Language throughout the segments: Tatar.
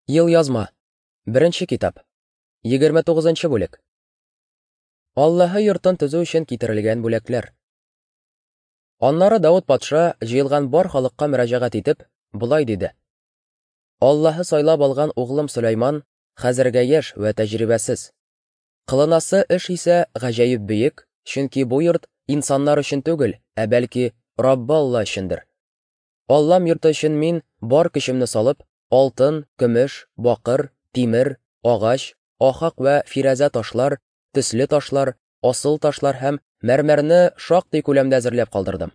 Елъязма. Беренче китап. 29 нчы бүлек. Аллаһы йортын төзү өчен китерелгән бүләкләр. Аннары Давыт патша җыелган бар халыкка мөрәҗәгать итеп, болай диде: Аллаһы сайлап алган углым Сөләйман хәзергә яшь вә тәҗрибәсез. Кылынасы эш исә гаҗәеп бөек, чөнки бу йорт инсаннар өчен түгел, ә бәлки Раббы Алла өчендер. Аллам йорты өчен мин, бар көчемне салып, алтын, көмеш, бакыр, тимер, агач, ахак вә фирәзә ташлар, төсле ташлар, асыл ташлар һәм мәрмәрне шактый күләмдә әзерләп калдырдым.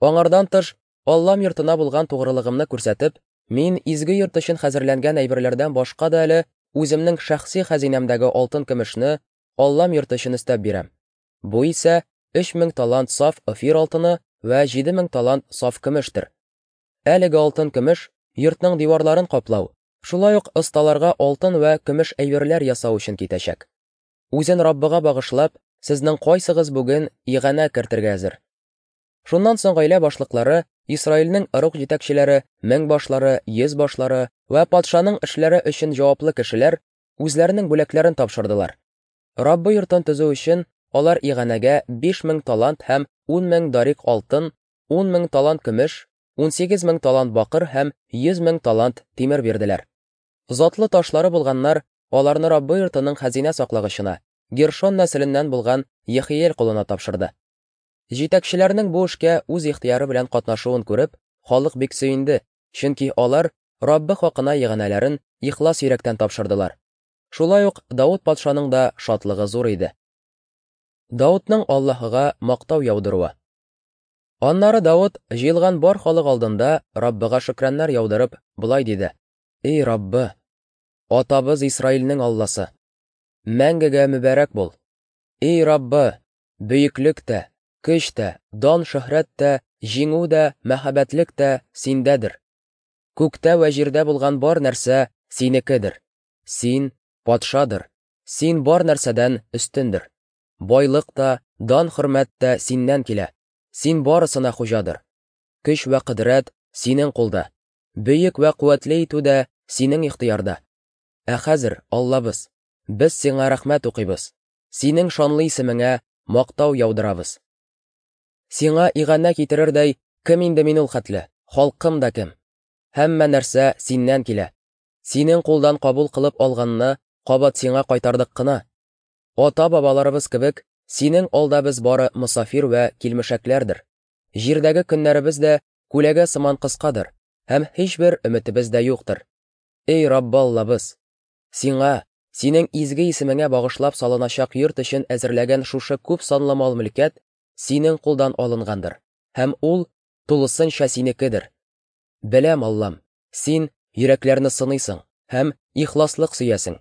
Аңардан тыш, Аллам йортына булган тугрылыгымны күрсәтеп, мин изге йорт өчен хәзерләнгән әйберләрдән башка да әле үземнең шәхси хәзинәмдәге алтын-көмешне Аллам йорты өчен өстәп бирәм. Бу исә 3000 талант саф офир алтыны вә 7000 талант саф көмештер. Әлеге алтын-көмеш йортның диварларын каплау, шулай ук осталарга алтын вә көмеш әйберләр ясау өчен китәчәк. Үзен Раббыга багышлап, сезнең кайсыгыз бүген иганә кертергә әзер? Шуннан соң гаилә башлыклары, Исраилнең ыруг җитәкчеләре, меңбашлары, йөзбашлары вә патшаның эшләре өчен җаваплы кешеләр үзләренең бүләкләрен тапшырдылар. Раббы йортын төзү өчен алар иганәгә 5000 талант һәм 10000 дарик алтын, 10000 талант көмеш, 18000 талант бакыр һәм 100000 талант тимер бирделәр. Затлы ташлары булганнар аларны Раббы йортының хәзинә саклагычына, Гершон нәселеннән булган Ехиел кулына тапшырды. Җитәкчеләрнең бу эшкә үз ихтыяры белән катнашуын күреп, халык бик сөенде, чөнки алар Раббы хакына иганәләрен ихлас йөрәктән тапшырдылар. Шулай ук Давыт патшаның да шатлыгы зур иде. Давытның Аллаһыга мактау яудыруы. Аннары Давыт җыелган бар халык алдында Раббыга шөкраннар яудырып, болай диде: Эй Раббы, атабыз Исраилнең Алласы, мәңгегә мөбарәк бул. Эй Раббы, бөеклек тә, көч тә, дан-шөһрәт тә, җиңү дә, мәһабәтлек тә синдәдер. Күктә вә җирдә булган бар нәрсә синекедер. Син патшадыр, син бар нәрсәдән өстендер. Байлык та, дан-хөрмәт тә синнән килә. Син барысына хуҗадыр. Көч вә кодрәт синең кулда. Бөек вә куәтле итү дә синең ихтыярда. Ә хәзер, Аллабыз, без сиңа рәхмәт укыйбыз. Синең шанлы исемеңә мактау яудырабыз. Сиңа иганә китерердәй кем инде мин ул хәтле, халкым да кем? Һәммә нәрсә синнән килә. Синең кулдан кабул кылып алганны кабат сиңа кайтардык кына. Ата-бабаларыбыз кебек, синең алда без бары мосафир вә килмешәкләрдер. Җирдәге көннәребез дә күләгә сыман кыскадыр, һәм һичбер өметебез дә юктыр. Эй Раббы Аллабыз! Сиңа, синең изге исемеңә багышлап салыначак йорт өчен әзерләгән шушы күп санлы мал-мөлкәт синең кулдан алынгандыр, һәм ул тулысынча синекедер. Беләм, Аллам, син йөрәкләрне сыныйсың һәм ихласлык сөясең.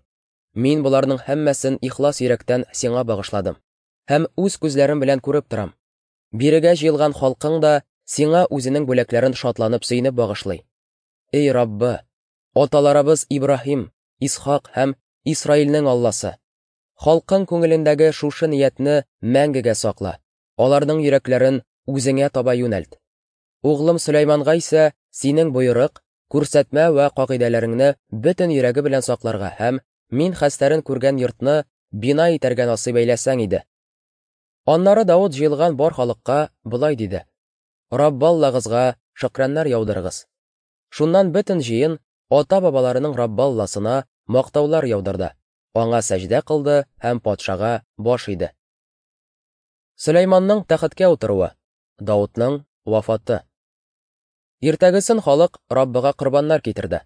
Мин боларның һәммәсен ихлас йөрәктән сиңа багышладым һәм үз күзләрем белән күреп торам. Бирегә җыелган халкың да сиңа үзенең бүләкләрен шатланып-сөенеп багышлый. Эй Раббы, аталарыбыз Ибраһим, Исхак һәм Исраилнең Алласы, халкың күңелендәге шушы ниятне мәңгегә сакла, аларның йөрәкләрен үзеңә таба юнәлт. Углым Сөләйманга исә синең боерык, күрсәтмә вә кагыйдәләреңне бөтен йөрәге белән сакларга һәм мин хәстәрен күргән йортны бина итәргә насыйп әйләсәң иде. Аннары Давыт җыелган бар халыкка болай диде: Раббы Аллагызга шөкраннар яудырыгыз. Шуннан бөтен җыен ата-бабаларының Раббы Алласына мактаулар яудырды, аңа сәҗдә кылды һәм патшага баш иде. Сөләйманның тәхеткә утыруы, Давытның вафаты. Иртәгесен халык Раббыга корбаннар китерде.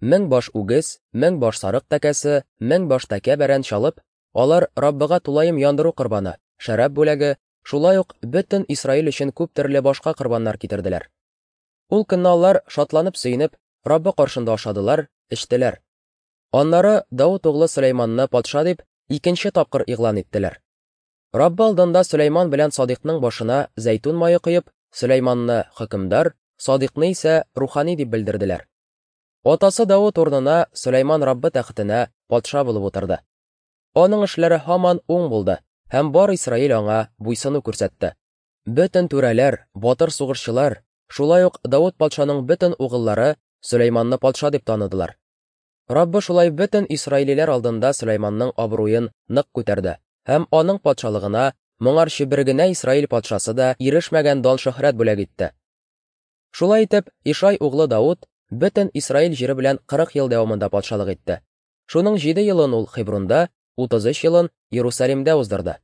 1000 баш үгез, 1000 баш сарык тәкәсе, 1000 баш тәкә бәрән чалып, алар Раббыга тулаем яндыру корбаны, шәраб бүләге, шулай ук бөтен Исраил өчен күп төрле башка корбаннар китерделәр. Ул көнне алар шатланып-сөенеп Раббы каршында ашадылар, эчтеләр. Аннары Давыт углы Сөләйманны патша дип икенче тапкыр игълан иттеләр. Раббы алдында Сөләйман белән Садикның башына зәйтүн мае коеп, Сөләйманны хөкемдар, Садикны исә рухани дип белдерделәр. Атасы Давыт урынына Сөләйман Раббы тәхетенә патша булып утырды. Аның эшләре һаман уң булды, һәм бар Исраил аңа буйсыну күрсәтте. Бөтен түрәләр, батыр сугышчылар, шулай ук Давыт патшаның бөтен угыллары Сөләйманны патша дип таныдылар. Раббы шулай бөтен исраилиләр алдында Сөләйманның абруен нык күтәрде һәм аның патшалыгына моңарчы бер генә Исраил патшасы да ирешмәгән дан-шөһрәт бүләк итте. Шулай итеп, Ишай углы Давыт бөтен Исраил җире белән 40 ел дәвамында патшалык итте. Шуның җиде елын ул Хебрунда, 33 елын Иерусалимдә уздырды.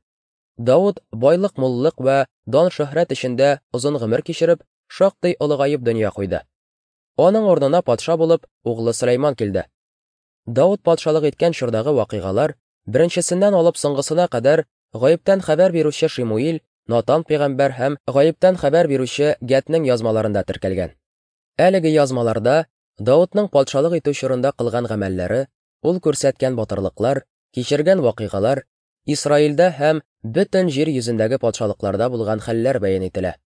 Давыт байлык-муллык вә дан-шөһрәт эчендә озын гомер кичереп, шактый олыгаеп дөнья куйды. Аның урынына патша булып углы Сөләйман килде. Давыт патшалык иткән чордагы вакыйгалар, беренчесеннән алып соңгысына кадәр, гаептән хәбәр бирүче Шимуил, Натан пәйгамбәр һәм гаептән хәбәр бирүче Гәтнең язмаларында теркәлгән. Әлеге язмаларда Давытның патшалык итү чорында кылган гамәлләре, ул күрсәткән батырлыклар, кичергән вакыйгалар, Исраилдә һәм бөтен җир йөзендәге патшалыкларда булган хәлләр бәян ителә.